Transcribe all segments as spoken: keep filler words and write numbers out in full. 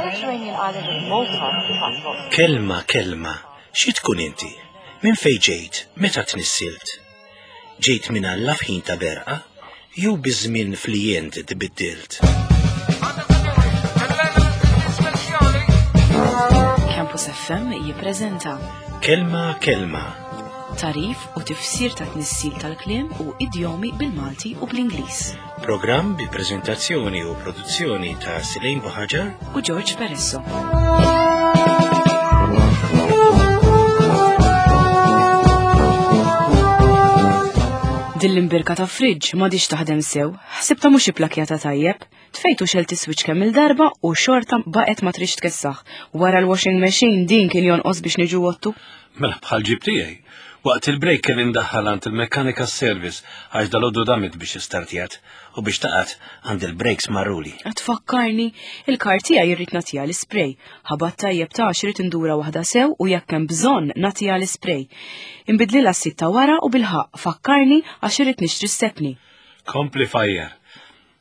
Mediterranean island of Malta transport. Kelma, kelma, xi tkun inti? Minn fejn ġejt? Meta tnissilt? Ġejt minn Alla f'ħin ta' berqa? Jew biż-żmien flijent tbiddilt? Campus F M jippreżenta Kelma, kelma. Tagħrif u tifsir ta' tnissil tal-kliem u idjomi bil-Malti u bl-Ingliż. Programm bi prezentazzjoni u produzzjoni ta' Silejn Buħaġar u George Peresso. Din l-imbirka ta' fridge m'għadhiex taħdem sew, ħsibta mhux ipplakjata tajjeb, tfejtu xelt is-switch kemm il-darba u xorta baqgħet ma tridx tkessaħ. Wara l-washing machine din kien jonqos biex niġu wottu. Mela bħal ġib tiegħi. Waqt il-break kelli ndaħħal għand il-mekkanika service għax dal-għodu damit biex istartjat u biex taqat għand il-brakes marruli. Tfakkarni, il-kar tiegħi jirrid nagħtiha l-ispray. Ħabat tajjeb ta' xrid indura waħda sew u jekk hemm bżonn nagħtiha l-ispray. Inbidlilha s-sit ta' wara u bilħaq fakkarni għax irid nixtri s-sepni. Kompli fajjar.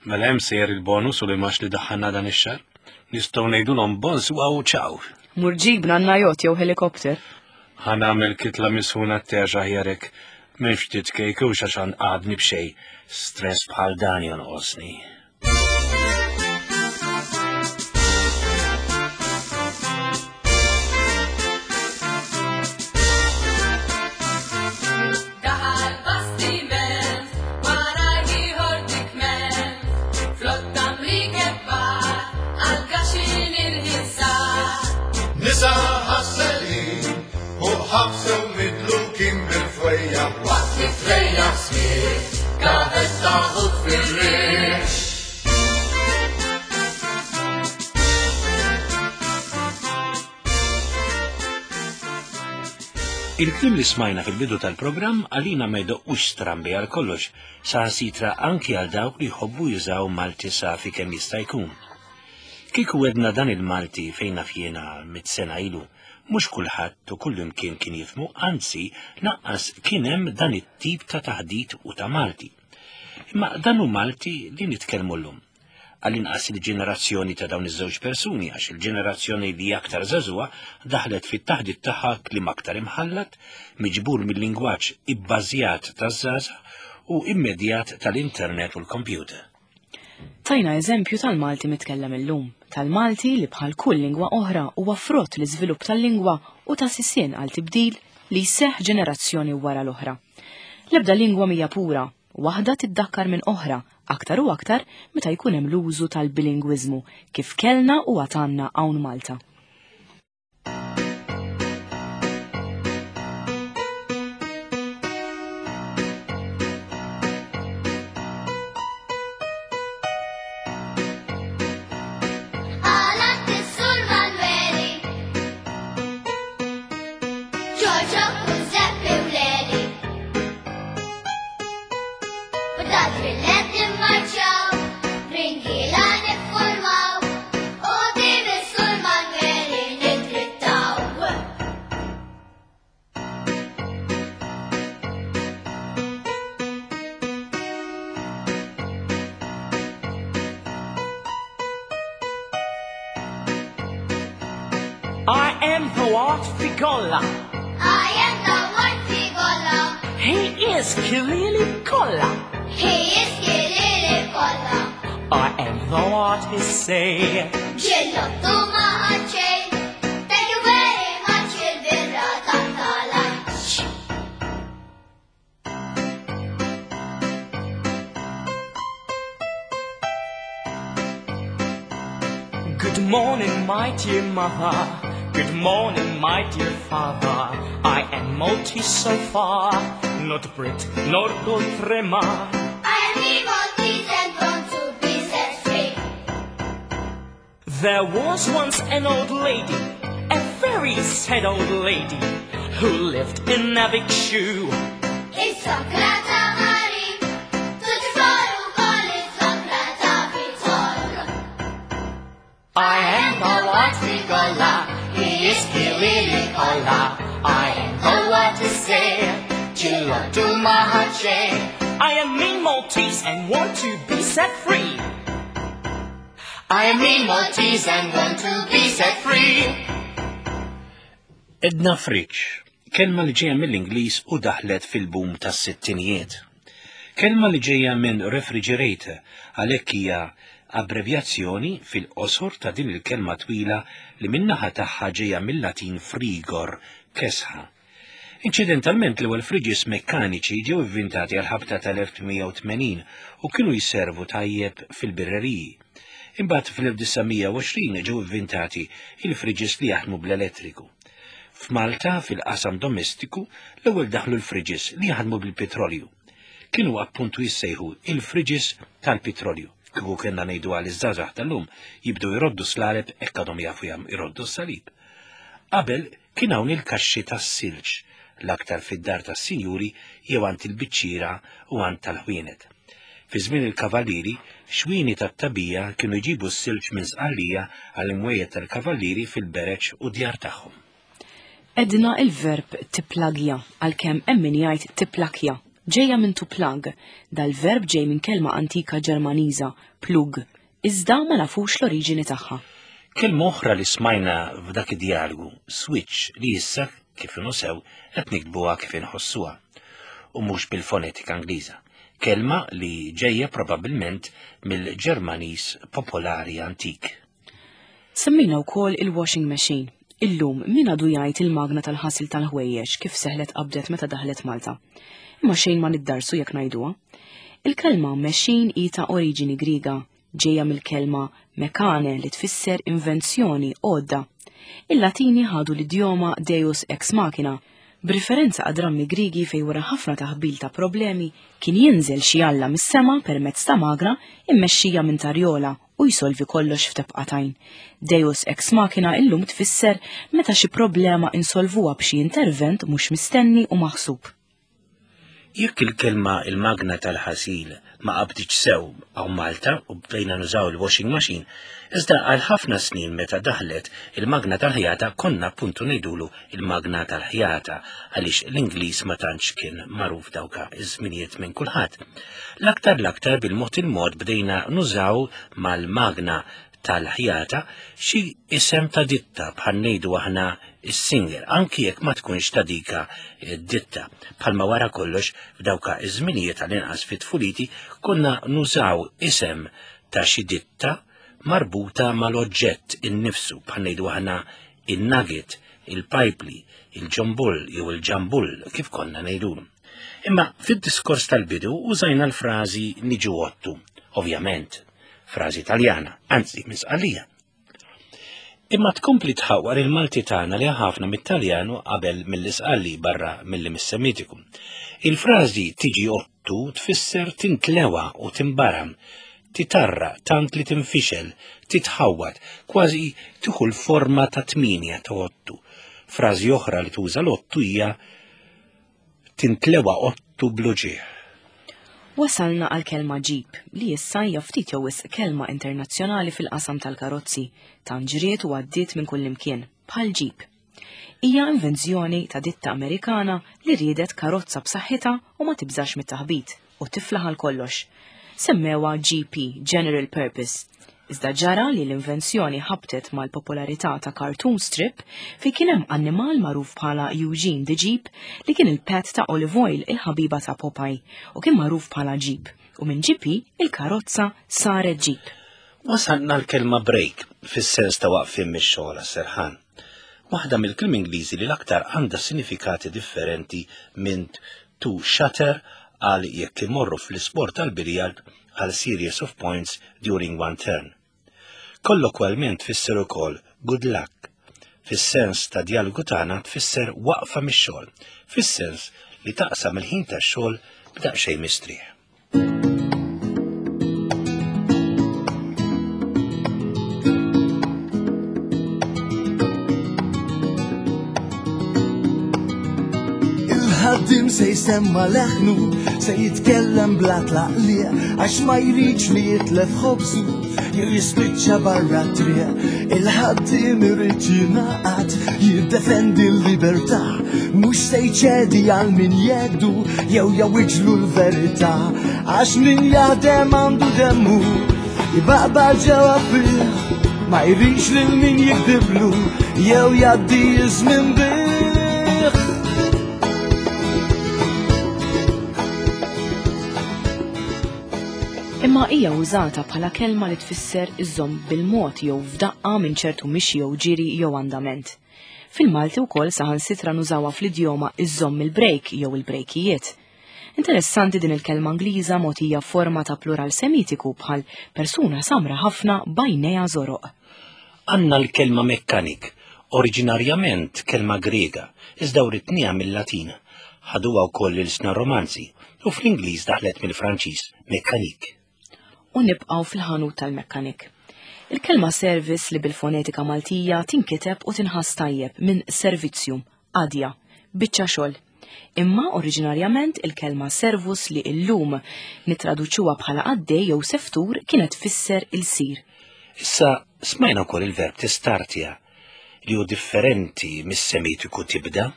Mela hemm sejjer il-bonus u li max li daħħalna dan ix-xahar. Nistgħu ngħidulhom bonsoir u ċaw. Mur ġibna najot jew helikopter. Ħa nagħmel kitla misħuna t-terġa ħjarek. Minn ftit kejk u xaxan għadni b'xej. Stress bħal dan jonqosni. Daħal bastiment, wara ieħor dikment, flotta mrikebba, għal-gaxin il-ħinsar. Nisa ħasselin u ħabsew midlukin bil-fwejja Waqt li trejja smir, gavetta ħut fil-rix. Il-kliem li smajna fil-bidu tal-programm għalina ma jdoqqux strambi għal kollox, saħansitra anki għal dawk li jħobbu jużaw Malti safi kemm jista' jkun. Kieku wedna dan il-Malti fejn naf jiena mit sena ilu, mhux kulħadd u kullimkien kien jifhmu, anzi naqqas kien hemm dan it-tip ta' taħdit u ta' Malti. Imma dan hu Malti li nitkellmu llum. Għall-inqas il-ġenerazzjoni ta' dawn iż-żewġ persuni, għax il-ġenerazzjoni li aktar żagħżugħa daħlet fit-taħdit tagħha kliem aktar imħallat, miġbur mill-lingwaġġ ibbażjat taż-żgħażagħ u immedjat tal-internet u l-kompjuter. Tajna eżempju tal-Malti mitkellem illum, tal-Malti li bħal kull lingwa oħra huwa frott l-iżvilupp tal-lingwa u ta' sisien għal tibdil li jseħħ ġenerazzjoni wara l-oħra. L-ebda lingwa mhija pura, waħda tiddakkar minn oħra, aktar u aktar meta jkun hemm l-użu tal-bilingwiżmu kif kellna u għatanna hawn Malta. Għalat is-sur Manueli, Giorgio Giuseppe u Leli. B'dat rillet nimmarċaw, ringiela niffurmaw, u dim is-sur Manueli nidrittaw. I am the Art Figolla. I am the Art Figolla. He is Kilili Kolla. He is Kilili Kolla. I am the artist say. Ġillottu ma għadxej. Thank you very much il-birra ta' lunch. Good morning, my dear mother. Good morning, my dear father. I am Maltese so far, not Brit, nor Goltrema. I am the Maltese and want to be set free. There was once an old lady, a very sad old lady, who lived in a big shoe. Is-sokrata Mari, tuġfor ukoll is-sokrata Vitor. I am the Lord Figolla, he is Kilili Kolla. I am the what to say, Chilo to Mahache. I am mean Maltese and want to be set free. I am me Maltese and want to be set free. Edna friġġ, kelma li ġejja mill-Ingliż u daħlet fil-boom tas-sittinijiet. Kelma li ġejja minn refrigerator, għalhekk hija abbrevjazzjoni fil-qosor ta' din il-kelma twila li min-naħa tagħha ġejja mill-Latin frigor, kesħa. Inċidentalment l-ewwel friġis mekkaniċi ġew ivvintati għal ħabta tal-elf tmien mija u tmenin u kienu jservu tajjeb fil-birreriji. Imbagħad fl-elf disa' mija u għoxrin ġew ivvintati il-friġis li jaħdmu bl-elettriku. F'Malta, fil-qasam domestiku, l-ewwel daħlu l-friġis li jaħdmu bil-petrolju. Kienu appuntu jissejħu il-friġis tal-petrolju. Kieku kellna ngħidu għal iż-żgħażagħ tal-lum jibdew jroddu slaleb hekk għadhom jafu jam jroddu s-salib. Qabel kien hawn il-kaxxi tas-silġ, l-aktar fid-dar tas-sinjuri jew għand il-biċċiera u għand tal-ħwienet. Fi żmien il-kavallieri, xwini tat-tabija kienu jġibu s-silġ minn Sqallija għall-imwejjed tal-kavallieri fil-bereġ u djar tagħhom. Edna il-verb tiplagja, għalkemm hemm min jgħid tiplakja, ġejja minn to plug. Dal-verb ġej minn kelma antika Ġermaniża, plug, iżda ma nafux l-oriġini tagħha. Kelma oħra li smajna f'dak id-dialogu, switch, li issa kif inhu sew qed nikbuha kif inħossuha u mhux bil-fonetika Ingliża. Kelma li ġejja probabbilment mill-Ġermaniż popolari antik. Semmejna wkoll il-washing machine. Illum min għadu jgħid il-magna tal-ħasil tal-ħwejjeġ kif seħlet qabdet meta daħlet Malta. Imma xejn ma niddarsu jekk ngħiduha. Il-kelma machine hi ta' oriġini Griega, ġejja mill-kelma mekane li tfisser invenzjoni, għodda. Il-Latini ħadu l-idjoma Deus ex machina, b'riferenza għad drammi Griegi fej wara ħafna taħbil ta' problemi kien jinżel xi alla mis-sema permezz ta' magra immexxija minn tarjola u jsolvi kollox f'tebqatajn. Deus ex machina illum tfisser meta xi problema insolvuha b'xi intervent mhux mistenni u maħsub. Jekk il-kelma il-magna tal-ħasil ma qabditx sew hawn Malta u bdejna nużaw il-washing machine, iżda għal ħafna snin meta daħlet il-magna tal-ħjata konna appuntu ngħidulu il-magna tal-ħjata għaliex l-Ingliż ma tantx kien magħruf dawka iż-żminijiet minn kulħadd. L-aktar l-aktar bil-mod il-mod bdejna nużaw mal-magna tal-ħjata xi isem ta' ditta bħal ngħidu aħna is-singer, anki jekk ma tkunx ta' dika ditta. Bħalma wara kollox f'dawka iż-żminijiet għall-inqas fit-tfuliti konna nużaw isem ta' xi ditta marbuta mal-oġġett innifsu bħal ngħidu aħna in-nugget, il-pajpli, il-ġombull jew il-ġambull kif konna ngħidulu. Imma fid-diskors tal-bidu użajna l-frażi niġu ottu, ovvjament, frażi Taljana, anzi minn Sqallija. Imma tkompli tħawwar il-Malti tagħna li ħafna mit-Taljanu qabel mill-Isqalli barra milli mis-Semitiku. Il-frażi tiġi ottu tfisser tintlewa u timbaram, titarra tant li tinfixel, titħawwad, kważi tieħu l-forma ta' tminja ta' ottu. Frażi oħra li tuża l-ottu hija tintlewa ottu bl-uġigħ. Wasalna għal kelma ġib, li issa hija ftit jew wisq kelma internazzjonali fil-qasam tal-karozzi, tant ġriet u għaddiet minn kullimkien, bħal ġib. Hija invenzjoni ta' ditta Amerikana li riedet karozza b'saħħitha u ma tibżax mit-taħbit u tiflaħ għal kollox. Semmewha G P, General Purpose. Iżda ġara li l-invenzjoni ħabtet mal-popolarità ta' cartoon strip fi kien hemm annimal magħruf bħala Eugene the Jeep li kien il-pet ta' Olive Oyl, il-ħabiba ta' Popeye, u kien magħruf bħala Jeep, u minn G P il-karozza saret Jeep. Wasalna l-kelma break fis-sens ta' waqfien mix-xogħol għas-serħan. Waħda mill-kliem Ingliżi li l-aktar għandha sinifikati differenti minn to shatter għal jekk imorru fl-isport tal-biljard għal series of points during one turn. Kollokwalment tfisser ukoll good luck. Fis-sens ta' dialogu tagħna tfisser waqfa mix-xogħol, fis-sens li taqsam il-ħin tax-xogħol b'daqsxejn mistrieħ. Il-ħaddim se jsemma leħnu, se jitkellem bla tlaqliq, għax ma jridx li jitlef ħobżu, jew jispiċċa barra t-triq. Il-ħaddim irid jingħaqad, jiddefendi l-libertà, mhux se jċedi għal min jgħidu jew jawwiġlu l-verità, għax min jaħdem għandu demmu, Ibaqbaq ġewwa fih, ma jridx lil min jikdiblu jew jgħaddi iż-żmien bih. Imma hija użata bħala kelma li tfisser iżżomm bil-mod jew f'daqqa minn ċertu mixi jew ġiri jew andament. Fil-Malti wkoll saħansitra nużawha fl-idjoma iżżomm il-brejk jew il-brejkijiet. Interessanti din il-kelma Ingliża mogħtija forma ta' plural semitiku bħal persuna samra ħafna b'għajnejha żoroq. Għandna l-kelma mekkanik, oriġinarjament kelma Grega, iżda writniha mill-Latin. Ħaduha wkoll l-ilsna Romanzi u fl-Ingliż daħlet mill-Franċiż mekkanik. U nibqgħu fil-ħanut tal-mekkanik. Il-kelma service li bil-fonetika Maltija tinkiteb u tinħass tajjeb minn servizzju, qadja, biċċa xogħol. Imma oriġinarjament il-kelma servus li illum nitraduċuha bħala qaddej jew seftur kienet tfisser il-sir. Issa smajna wkoll il-verb tistartja li hu differenti mis-semitiku tibda.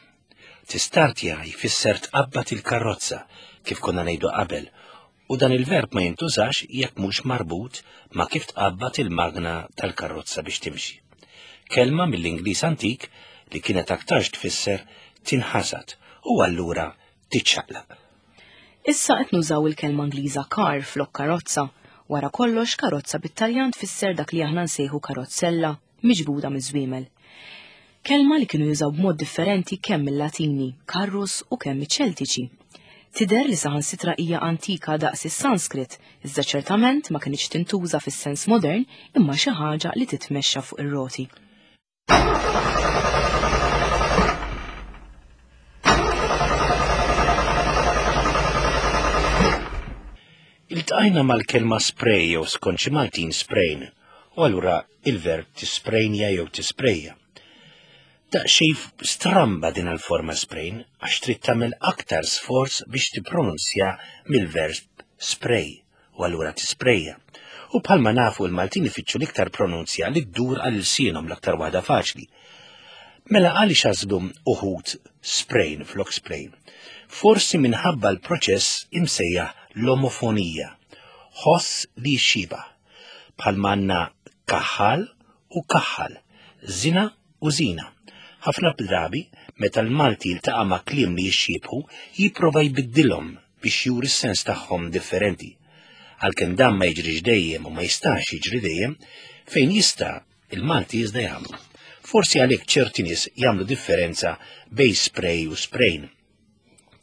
Tistartja jfisser tqabbad il-karozza kif konna ngħidu qabel, u dan il-verb ma jintużax jekk mhux marbut ma' kif tqabbad il-magna tal-karozza biex timxi. Kelma mill-Ingliż antik li kienet aktarx tfisser tinħasad u allura tiċċaqlaq. Issa qed nużaw il-kelma Ingliża car flok karozza. Wara kollox karozza bit-Taljan tfisser dak li aħna nsejħu karozzella miġbuda miż-żwiemel. Kelma li kienu jużaw b'mod differenti kemm il-Latini, karrus u kemm iċ-Ċeltiċi. Tidher li saħansitra hija antika daqs is-Sanskrit, iżda ċertament ma kinitx tintuża fis-sens modern imma xi ħaġa li titmexxa fuq ir-roti. Iltqajna mal-kelma spray jew skont xi Maltin sprain, u allura il-verb tisprejnja jew tisprejja. Daqsxejn stramba din il-forma sprain għax trid tagħmel aktar sforz biex tippronunzja mill-verb spray u allura tisprejja. U bħalma nafu l-Maltin ifittxu l-iktar pronunzja li ddur għal ilsienhom l-aktar waħda faċli. Mela għaliex għażlu uħud sprain flok spray? Forsi minħabba l-proċess imsejjaħ l-omofonija, ħoss li jxibah, bħalma għandna kaħħal u kaħħal, zina u zina. Ħafna drabi, meta l-Malti jiltaqa' ma' kliem li jixxiebħu, jipprova jbiddilhom biex juri s-sens tagħhom differenti. Għalkemm dan ma jiġrix dejjem u ma jistax jiġri dejjem, fejn jista' il-Malti iżda jagħmlu. Forsi għalhekk ċerti nies jagħmlu differenza bejn spray u sprain.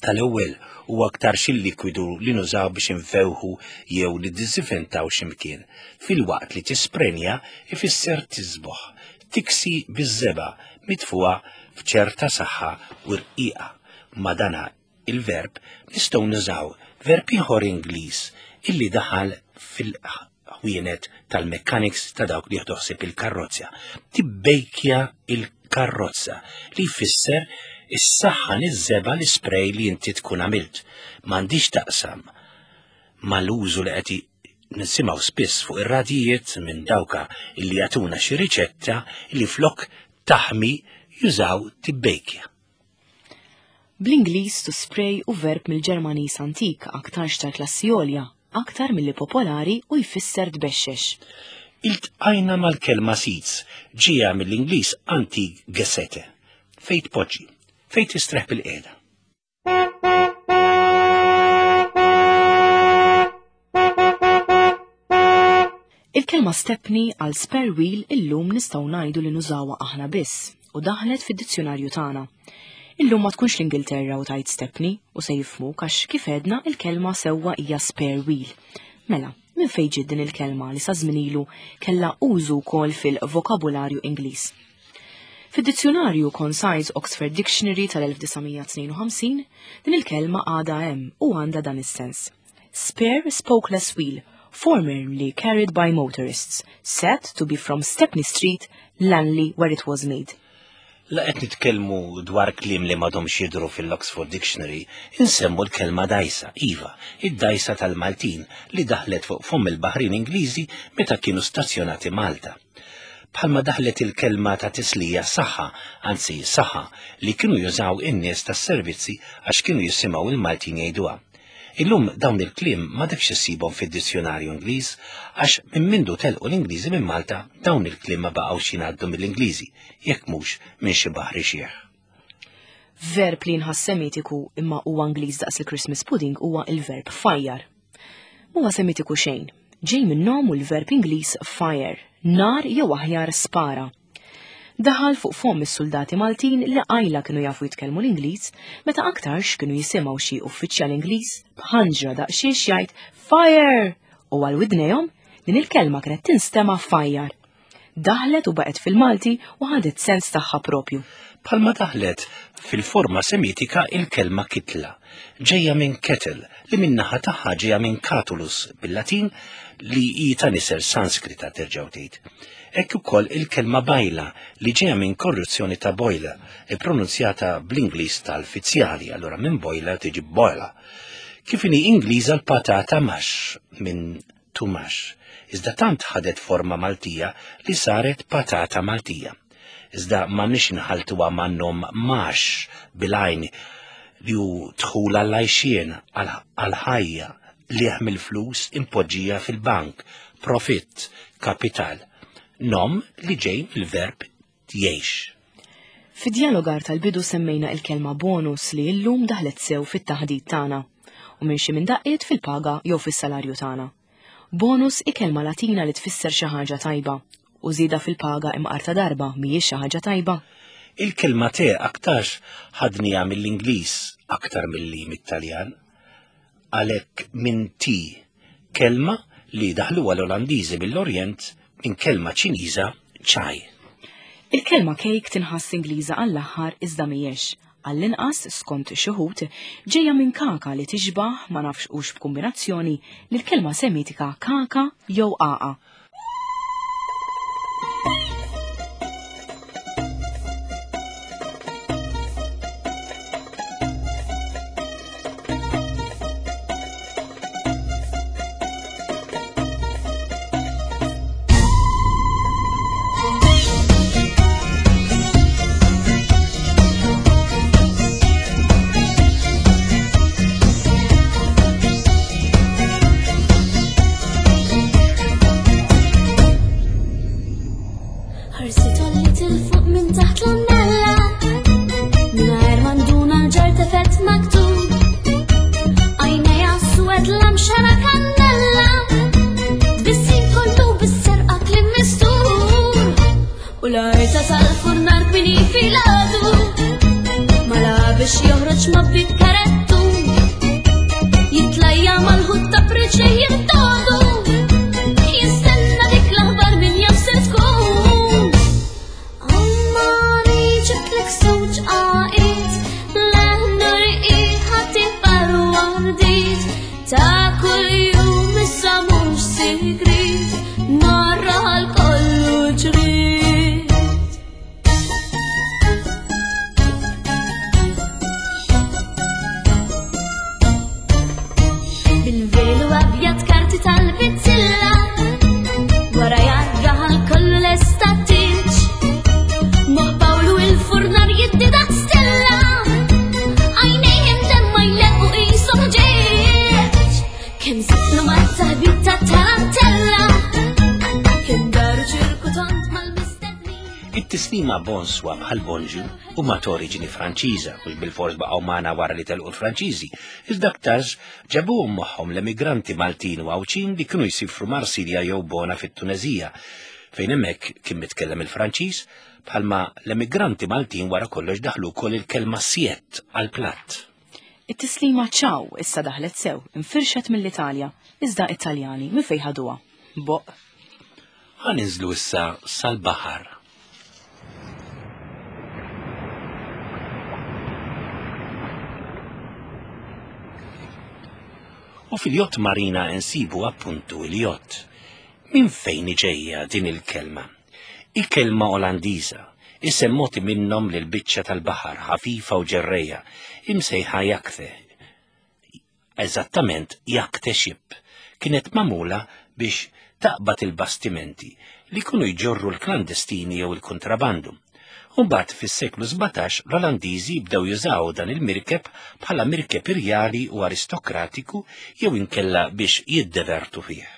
Tal-ewwel huwa aktar xi likwidu li nużaw biex infewħu jew li ddiżinfettaw xi mkien, filwaqt li tisprenja ifisser tisboħ, tiksi biż-żebgħa mitfuha f'ċerta saħħa u rqiqa. Ma dana il-verb nistgħu nużaw verb ieħor Ingliż illi daħal fil-ħwienet tal-mechanics ta' dawk li jieħdu ħsieb il-karrozza. Tibbejkja il-karrozza li jfisser is-saħħa niż-żebgħa l-ispray li inti tkun għamilt. M'għandix taqsam mal-użu li qed nisimgħu spiss fuq ir-radijiet minn dawka illi jagħtuna xi riċetta li flok taħmi jużaw tibbejkja. Bl-Ingliż to spray u verb mill-Ġermaniż antik aktarx tal-klassi għolja, aktar milli popolari u jfisser tbexxex. Iltqajna mal-kelma seats ġija mill-Ingliż antik gesete, fejn tpoġġi, fejn tistreħ bil-qiegħda. Il-kelma stepney għal spare wheel illum nistgħu ngħidu li nużawha aħna biss u daħlet fid-dizzjonarju tagħna. Illum ma tkunx l-Ingilterra u tajt stepney u se jifhmuk għax kif għedna il-kelma sewwa hija spare wheel. Mela, minn fejn ġiet din il-kelma li sa żmien ilu kellha użu wkoll fil-vokabularju Ingliż? Fid-dizzjonarju Concise Oxford Dictionary tal-elf disa' mija tnejn u ħamsin, din il-kelma għadha hemm u għandha dan is-sens. Spare spokeless wheel, formerly carried by motorists, said to be from Stepney Street, Langley, where it was made. La qed nitkellmu dwar kliem li m'għadhomx jidhru fil-Oxford Dictionary, insemmu l-kelma dajsa, iva, id-dajsa tal-Maltin li daħlet fuq fomm il-Baħrin Ingliżi meta kienu stazzjonati Malta. Bħalma daħlet il-kelma ta' tislija saħħa, anzi saħħa, li kienu jużaw in-nies tas-servizzi għax kienu jisimgħu il-Maltin jgħiduha. Illum dawn il-kliem ma dekx issibhom fid-dizzjonarju Ingliż għax minn mindu telqu l-Ingliżi minn Malta dawn il-kliem ma baqgħux jingħaddu mill-Ingliżi jekk mhux minn xi baħri xiħ. Verb li nħass semitiku imma huwa Ingliż daqs il-Christmas pudding huwa il-verb fajjar. Huwa semitiku xejn, ġej minn nom u l-verb Ingliż fire, nar jew aħjar spara. Daħal fuq fomm is-soldati Maltin li qajla kienu jafu jitkellmu l-Ingliż meta aktarx kienu jisimgħu xi uffiċjal Ingliż b'ħanġra daqsxiex jgħid fire u għal widnejhom din il-kelma kienet tinstema' fajjar. Daħlet u baqgħet fil-Malti u ħadet sens tagħha propju. Bħalma daħlet fil-forma semitika il-kelma kitla, ġejja minn kettle li min-naħa tagħha ġejja minn catulus bil-Latin li hi ta' nisel Sanskrita terġgħu tgħid. Hekk ukoll il-kelma bajla li ġejja minn korruzzjoni ta' boiler, ippronunzjata bl-Ingliż tal-fizzjali, allura minn boiler tiġi boiler. Kif inhi Ingliża l-patata mash minn to mash, iżda tant ħadet forma Maltija li saret patata Maltija. Iżda m'għandniex inħaltuha man-nom max bil-għajn li hu dħul għall-għajxien, għall-ħajja, liħ mill-flus impoġġija fil-bank, profitt, kapital. Nom li ġej mill-verb jgħix. Fid-dialogar tal-bidu semmejna il-kelma bonus li llum daħlet sew fit-taħdit tagħna u minn xi minn daqqiet fil-paga jew fis-salarju tagħna. Bonus hi kelma Latina li tfisser xi ħaġa tajba u żieda fil-paga imqar ta' darba mhijiex xi ħaġa tajba. Il-kelma te aktarx ħadniha mill-Ingliż aktar milli mit-Taljan. Għalhekk minn ti, kelma li daħluha l-Olandiżi mill-Orjent minn kelma Ċiniża ċaj. Il-kelma cake tinħass Ingliża għall-aħħar iżda mhijiex. Għall-inqas skont xi wħud ġejja minn kaka li tixbaħ ma nafx hux b'kombinazzjoni lill-kelma semitika kaka jew aqa. It-tislima bonswa bħal bonġu huma ta' oriġini Franċiża, mhux bil-fors baqgħu magħna wara li telqu l-Franċiżi, iżda aktarx ġabuhom magħhom l-emigranti Maltin u Għawdxin li kienu jsifru Marsilja jew Bona fit-Tuneżija, fejn hemmhekk kien mitkellem il-Franċiż, bħalma l-emigranti Maltin wara kollox daħlu wkoll il-kelma siett għall-platt. It-tislima ċaw issa daħlet sew, infirxet mill-Italja, iżda Italjani minn fejn ħaduha. Boq. Ħa ninżlu issa sal-baħar. U fil-jott marina nsibu appuntu il-jott. Min fejn ġejja din il-kelma? Il-kelma Olandiża, isem moti minnhom lil biċċa tal-baħar ħafifa u ġerreja, imsejħa jakte. Eżattament jakte ship, kienet magħmula biex taqbad il-bastimenti li kunu jġorru l-klandestini jew il-kontrabandu. U mbagħad fis-seklu sbatax l-Olandiżi bdew jużaw dan il-mirkeb bħala mirkeb irjali u aristokratiku jew inkella biex jiddevertu fih.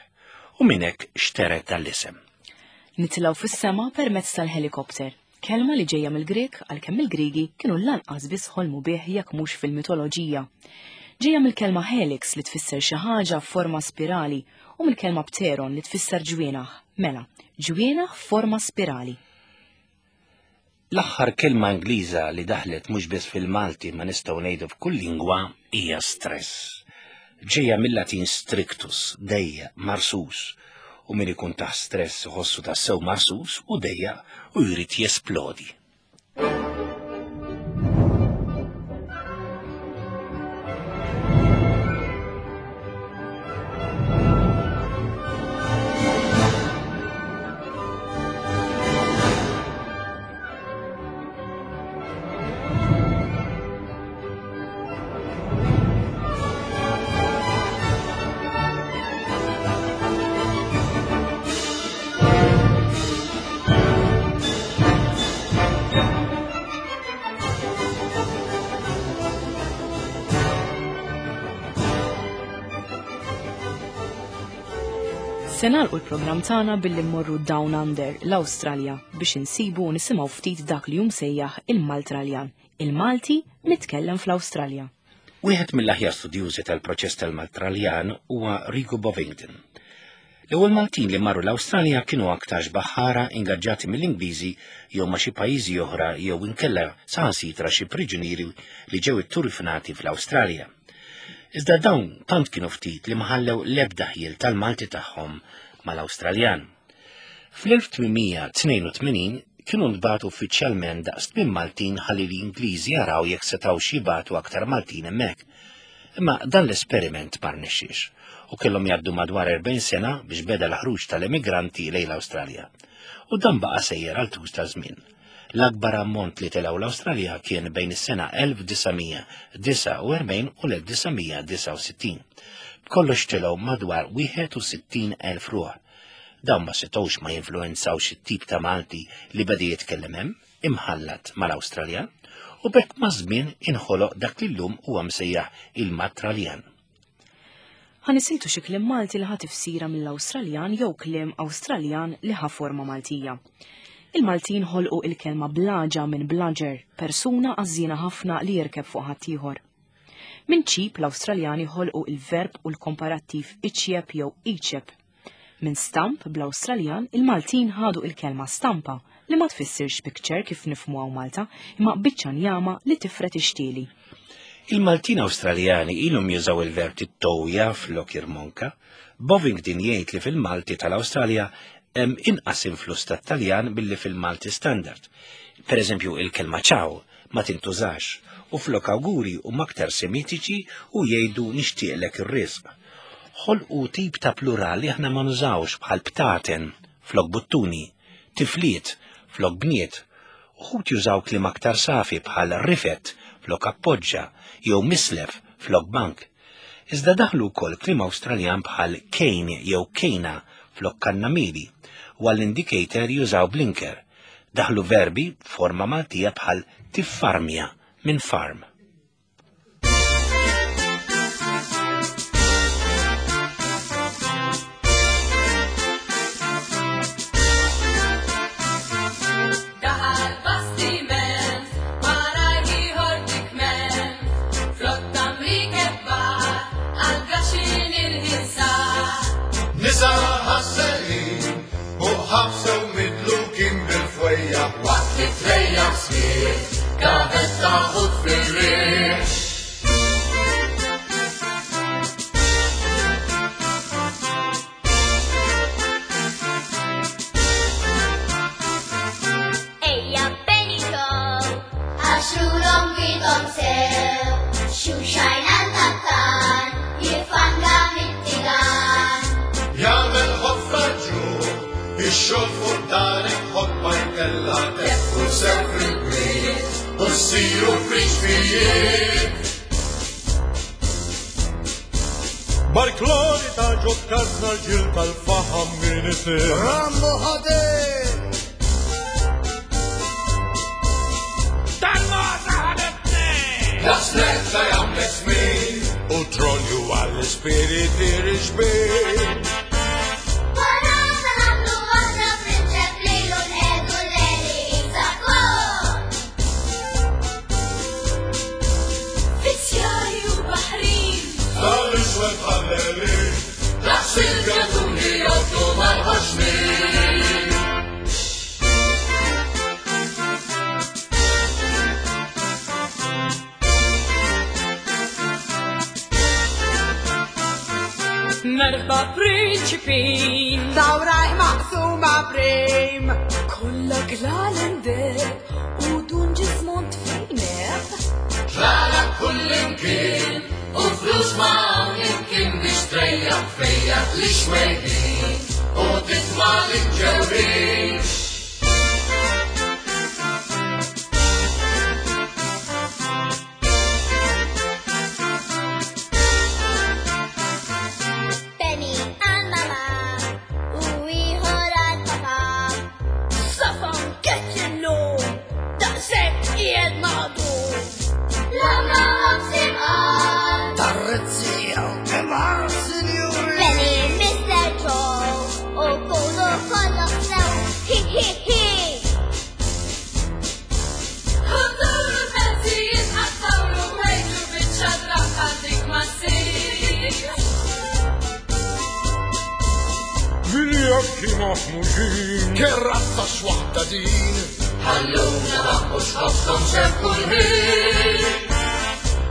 U minn hekk xteret tal-isem. Nitilgħu fis-sema permezz tal-helikopter. Kelma li ġejja mill-Grek għalkemm il-Griegi kienu lanqas biss ħolmu bih jekk mhux fil-mitoloġija. Ġejja mill-kelma helix li tfisser xi ħaġa f'forma spirali u mill-kelma pteron li tfisser ġwienaħ. Mela, ġwienaħ f'forma spirali. L-aħħar kelma Ingliża li daħlet mhux biss fil-Malti ma nistgħu ngħidu f'kull lingwa hija stress. Ġejja mill-Latin strictus, dejja, marsus, u min ikun taħt stress iħossu tassew marsus u dejja u jrid jesplodi. Se nagħlqu l-programm tagħna billi mmorru Down Under, l-Awstralja, biex insibu u nisimgħu ftit dak li hu msejjaħ il-Maltraljan, il-Malti mitkellem fl-Awstralja. Wieħed mill-aħjar studjużi tal-proċess tal-Maltraljan huwa Rigo Bovington. L-ewwel Maltin li marru l-Awstralja kienu aktarx baħħara ingaġġati mill-Ingliżi jew ma' xi pajjiżi oħra jew inkella saħansitra xi priġunieri li ġew itturfinati fl-Awstralja. Iżda dawn tant kienu ftit li ma ħallew l-ebda ħjiel tal-Malti tagħhom mal-Awstraljan. Fl-elf tmien tnejn u tmenin kienu ntbagħtu uffiċjalment daqs tmien Maltin ħalli l-Ingliżi jaraw jekk setgħux jibagħtu aktar Maltin hemmhekk. Imma dan l-esperiment ma rnexxiex u kellhom jgħaddu madwar erbgħin sena biex beda l-ħruġ tal-emigranti lejn l-Awstralja. U dan baqa' sejjer għal tul ta' żmien. L-akbar ammont li telgħu l-Awstralja kien bejn is-sena elf disa' mija disgħa u erbgħin u l-elf disa' mija disgħa u sittin. B'kollox telgħu madwar wieħed u sittin elf ruħ. Dawn ma setgħux ma jinfluwenzawx it-tip ta' Malti li beda jitkellem hemm, imħallat mal-Awstraljan, u b'hekk maż-żmien inħoloq dak li llum huwa msejjaħ il-Matraljan. Ħa nisiltu xi kliem Malti li ħa tifsira mill-Awstraljan jew kliem Awstraljan li ħa forma Maltija. Il-Maltin ħolqu il-kelma blaġa minn blaġer, persuna għażżiena ħafna li jirkeb fuq ħaddieħor. Minn ċip l-Awstraljani ħolqu il-verb u l-komparattiv iċjeb jew iċeb. Minn stamp bl-Awstraljan il-Maltin ħadu il-kelma stampa li ma tfissirx picture kif nifhmu hawn Malta, imma biċċa njama li tifret ixtieli. Il-Maltin Awstraljani ilhom jużaw il-verb tittowja flok irmonka. Bovington jgħid li fil-Malti tal-Awstralja hemm inqas influss tat-Taljan billi fil-Malti standard. Per eżempju, il-kelma ċaw ma tintużax u flok awguri huma aktar semitiċi u jgħidu nixtieqlek ir-risq. Ħolqu tip ta' plural li aħna ma nużawx bħal btaten flok buttuni, tifliet flok bniet, uħud jużaw kliem aktar safi bħal rifet flok appoġġa jew mislef flok bank. Iżda daħlu wkoll kliem Awstraljan bħal kejn jew kejna flok kannamili, u għall-indicator jużaw blinker. Daħlu verbi f'forma Maltija bħal tiffarmja minn farm. Daħal bastiment, wara ieħor dikment, flotta mrikebba, għal gaxin il-ħinsar. Nisa ħasselin u ħabsew midlukin bil-fwejja waqt li trejja smiet, gavetta u fil-riħ. Ejja Benito, għaxurhom bidhom sew, xuxajn għal-kaptan, jifanga mit-tigan. Jagħmel ħofra ġuħ, ix-xogħol fuq darek ħobba jkella teffu sew fil-kwiet u ssiru friġfijiet. Barkloni ta' ġokkazna l-ġil tal-faħam min isir. Rammu ħadej! Daqs netta jagħmlek smin, u tronju għall-ispiriti riġbin. Parata nagħmlu waħda prinċep lilu nqegħdu l-leli Isakon. Fizzjari u baħrin, Tal-iswed ħalleli, daqs il-gatuni jgħoddu mal-ħoxnin. Merba prinċipin, Dawrajh maqsuma prim. Kollha glalendek u dun ġismont fejnek. Ġara kullimkien u flus ma' imkien biex trejjaħ fejjaħ li xwejħin u titma' l-ġewwin. Penny għal mama u ieħor għal papa. Safan keċillu, daqshekk qiegħed maqdu. L-għamla ħobż imqar. Tarrezzija u kemar, sinjuri. Penny Mister Joe u kulu kollox sew. Hi hi hi. Ħudduru l-pensijiet ħattawlu ħejtu biċċa drabba dik ma ssir. Viljakki maħmuġin. Kerrazza x'waħda din, Ħalluna mhux ħobżhom sew kull ħin.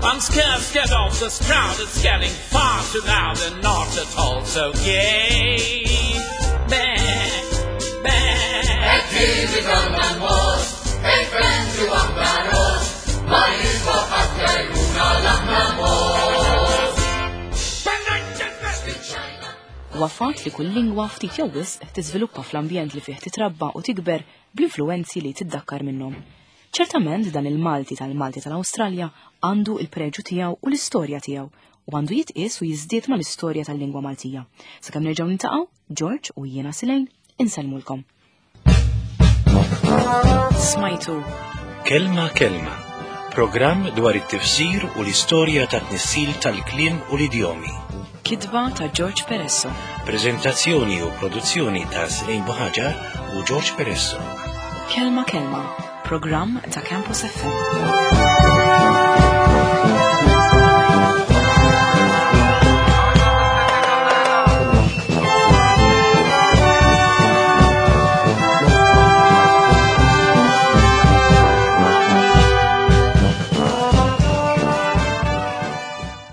I'm scared, scared of this crowd. It's getting far too loud and not at all so gay. Bah, bah. Qed ikollna l-mod, il-fenzi waħda ross, ma jiswa ħadd jgħiduna l-aħna mod. Huwa fatt li kull lingwa ftit jew wisq tiżviluppa fl-ambjent li fih titrabba u tikber bl-influwenzi li tiddakkar minnhom. Ċertament dan il-Malti tal-Malti tal-Awstralja għandu il-preġu tiegħu u l-istorja tiegħu u għandu jitqies u jiżdied mal-istorja tal-lingwa Maltija. Sakemm nerġgħu niltaqgħu, George u jiena Silejn insellmulkom. Smajtu Kelma Kelma, programm dwar it-tifsir u l-istorja ta' tnissil tal-kliem u l-idjomi. Kitba ta' George Peresso. Prezentazzjoni u produzzjoni ta' Silejn Buħaġar u George Peresso. Kelma Kelma, programm ta' Campus F M.